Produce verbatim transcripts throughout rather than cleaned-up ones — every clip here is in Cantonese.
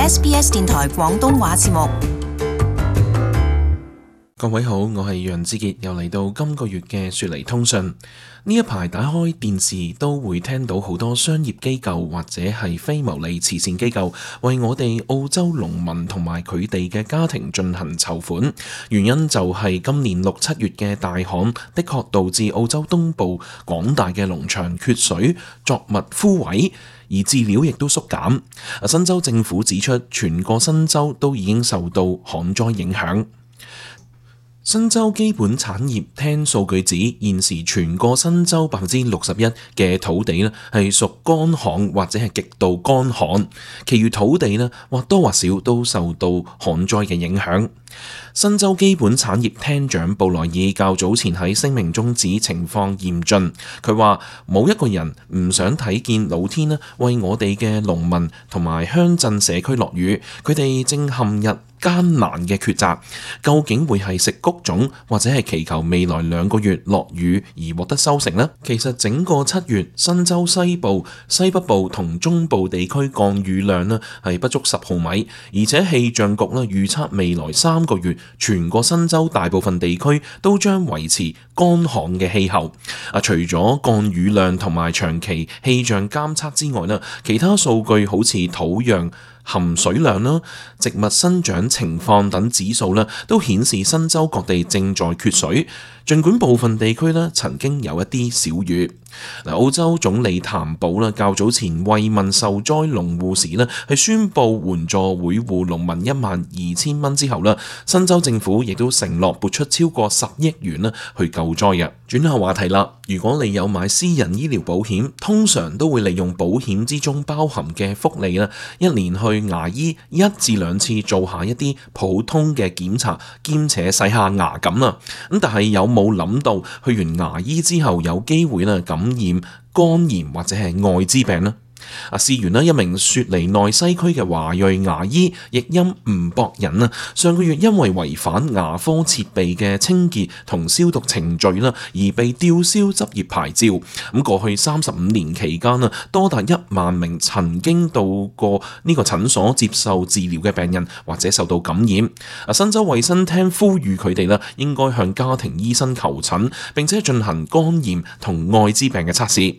S B S 電台廣東話節目。各位好，我係楊志傑，又嚟到今個月嘅雪梨通訊。呢一排打開電視都會聽到好多商業機構或者係非牟利慈善機構為我哋澳洲農民同埋佢哋嘅家庭進行籌款，原因就係今年六七月嘅大旱的確導致澳洲東部廣大嘅農場缺水，作物枯萎，而飼料亦都縮減。新州政府指出，全個新州都已經受到旱災影響。新州基本產業廳數據指，現時全個新州百分之六十一嘅土地呢係屬乾旱或者係極度乾旱，其餘土地呢或多或少都受到旱災嘅影響。新州基本產業廳長布萊爾較早前喺聲明中指情況嚴峻，佢話冇一個人唔想睇見老天呢為我哋嘅農民同埋鄉鎮社區落雨，佢哋正陷入艱難嘅抉擇，究竟會係食谷種或者係祈求未來兩個月落雨而獲得收成呢？其實整個七月，新州西部、西北部同中部地區降雨量呢係不足十毫米，而且氣象局呢預測未來三個月全個新州大部分地區都將維持乾旱嘅氣候。啊，除咗降雨量同埋長期氣象監測之外呢，其他數據好似土壤含水量啦、植物生長情況等指數咧，都顯示新州各地正在缺水。儘管部分地區咧曾經有一啲小雨。嗱，澳洲總理譚寶啦較早前慰問受災農戶時咧，係宣布援助每戶農民一萬二千蚊之後啦，新州政府亦都承諾撥出超過十億元啦去救災嘅。轉下話題啦，如果你有買私人醫療保險，通常都會利用保險之中包含嘅福利啦，一年去牙醫一至兩次做下一啲普通嘅檢查，兼且洗下牙咁啦。咁但係有冇諗到去完牙醫之後有機會咧感染肝炎或者係愛滋病呢？啊，事緣一名雪梨內西區嘅華裔牙醫譯音吳博仁啊，上個月因為違反牙科設備嘅清潔同消毒程序啦，而被吊銷執業牌照。咁過去三十五年期間啊，多達一萬名曾經到過呢個診所接受治療嘅病人或者受到感染。啊，新州衛生廳呼籲佢哋啦，應該向家庭醫生求診，並且進行肝炎同愛滋病嘅測試。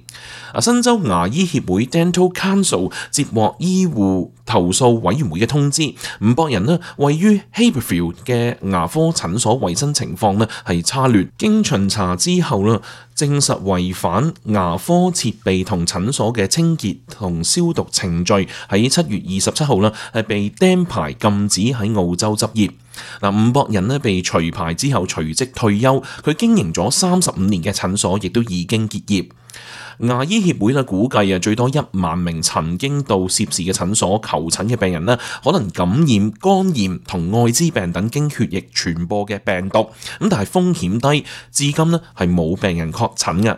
啊，新州牙醫協會 Dental Council 接獲醫護投訴委員會嘅通知，吳博仁呢位於 Haberfield 嘅牙科診所衛生情況呢係差劣，經巡查之後呢，證實違反牙科設備同診所嘅清潔同消毒程序，喺七月二十七號呢係被釘牌禁止喺澳洲執業。嗱，吳博仁呢被除牌之後隨即退休，佢經營咗三十五年嘅診所亦都已經結業。牙醫協會咧估計啊，最多一萬名曾經到涉事嘅診所求診嘅病人咧，可能感染肝炎同愛滋病等經血液傳播嘅病毒，咁但係風險低，至今咧係冇病人確診嘅。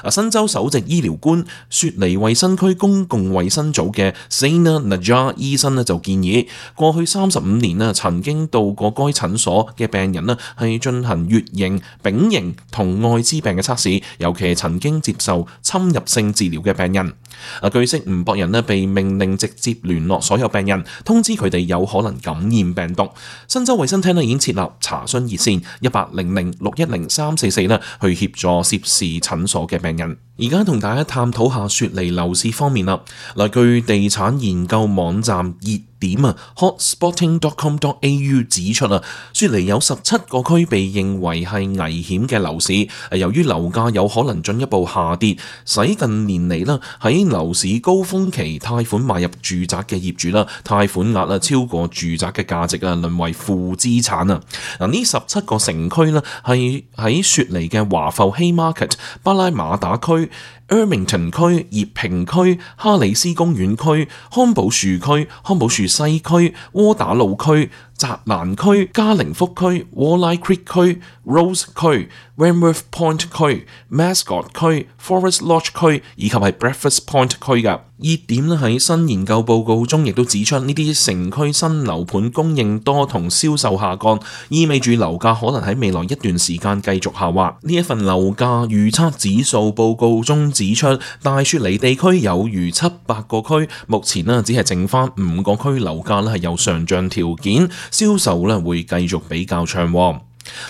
啊，新州首席醫療官雪梨衛生區公共衛生組嘅 Zainal Najjar 醫生咧就建議，過去三十五年咧曾經到過該診所嘅病人咧係進行乙型、丙型同愛滋病嘅測試，尤其係曾經接受侵入性治療嘅病人。啊，據悉吳博仁咧被命令直接聯絡所有病人，通知佢哋有可能感染病毒。新州衛生廳咧已經設立查詢熱線一八零零六一零三四四咧，去協助涉事診所嘅病人。而家同大家探討下雪梨樓市方面啦。嗱，據地產研究網站熱點啊 hotspotting dot com dot a u 指出啊，雪梨有十七個區被認為係危險嘅樓市。由於樓價有可能進一步下跌，使近年嚟啦喺樓市高峰期貸款買入住宅嘅業主啦，貸款額啊超過住宅嘅價值啊，淪為負資產啊。嗱，呢十七個城區呢係喺雪梨嘅華埠 Haymarket、巴拉馬打區、Ermington 區、葉平區、哈里斯公園區、康寶樹區、康寶樹西區、窩打老區、澤蘭區、加靈福區、Walleye Creek 區、Rose 區、Wentworth Point 區、Mascot 區、Forest Lodge 區以及係 Breakfast Point 區㗎。熱點咧喺新研究報告中亦都指出，呢啲城區新樓盤供應多同銷售下降，意味住樓價可能喺未來一段時間繼續下滑。呢一份樓價預測指數報告中指出，大雪梨地區有逾七百個區，目前咧只係剩翻五個區樓價咧係有上漲條件，銷售咧會繼續比較暢旺。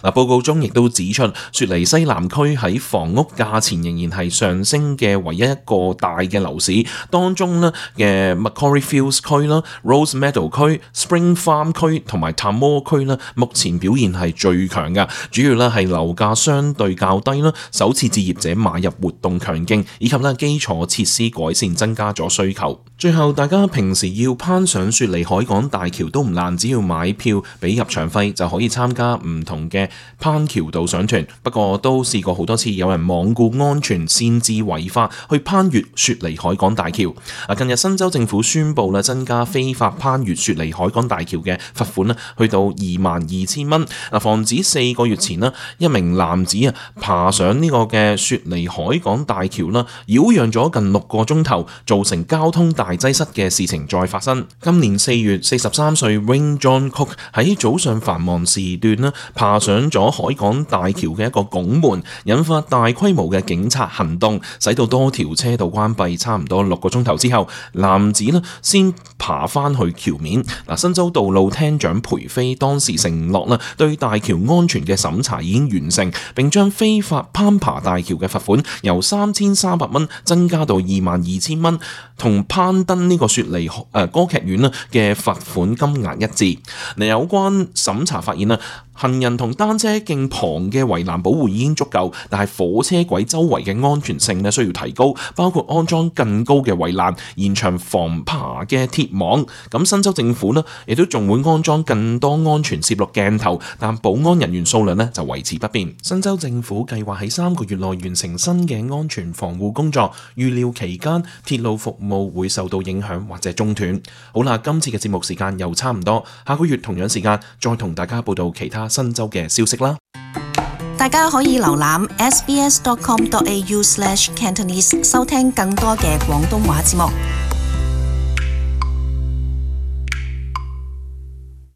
嗱，報告中亦都指出，雪梨西南區喺房屋價錢仍然係上升嘅唯一一個大嘅樓市，當中呢嘅 Macquarie Fields 區啦、Rose Meadow 區、Spring Farm 區同埋 Tamworth 區啦，目前表現係最強嘅，主要咧係樓價相對較低啦，首次置業者買入活動強勁，以及咧基礎設施改善增加咗需求。最後，大家平時要攀上雪梨海港大橋都唔難，只要買票俾入場費就可以參加唔同嘅攀橋導賞團。不過都試過好多次有人罔顧安全，擅自違法去攀越雪梨海港大橋。啊，近日新州政府宣布咧增加非法攀越雪梨海港大橋嘅罰款咧，去到二萬二千蚊。嗱，防止四個月前咧一名男子啊爬上呢個嘅雪梨海港大橋啦，擾攘咗近六個鐘頭，造成交通大擠塞嘅事情再發生。今年四月，四十三歲 Wayne John Cook 喺早上繁忙時段咧爬上咗海港大橋嘅一個拱門，引發大規模嘅警察行動，使到多條車道關閉，差唔多六個鐘頭之後，男子咧先爬翻去橋面。嗱，新州道路廳長培飛當時承諾啦，對大橋安全嘅審查已經完成，並將非法攀爬大橋嘅罰款由三千三百蚊增加到二萬二千蚊，同攀登呢個雪梨誒、呃、歌劇院咧嘅罰款金額一致。嗱，有關審查發現啦，行人同單車徑旁嘅圍欄保護已經足夠，但係火車軌周圍嘅安全性咧需要提高，包括安裝更高嘅圍欄、延長防爬嘅鐵網。咁新州政府咧亦都仲會安裝更多安全攝錄鏡頭，但保安人員數量咧就維持不變。新州政府計劃喺三個月內完成新嘅安全防護工作，預料期間鐵路服務會受到影響或者中斷。好啦，今次嘅節目時間又差唔多，下個月同樣時間再同大家報道其他新州嘅消息啦。大家可以瀏覽 s b s dot com dot a u slash cantonese 收聽更多嘅廣東話節目。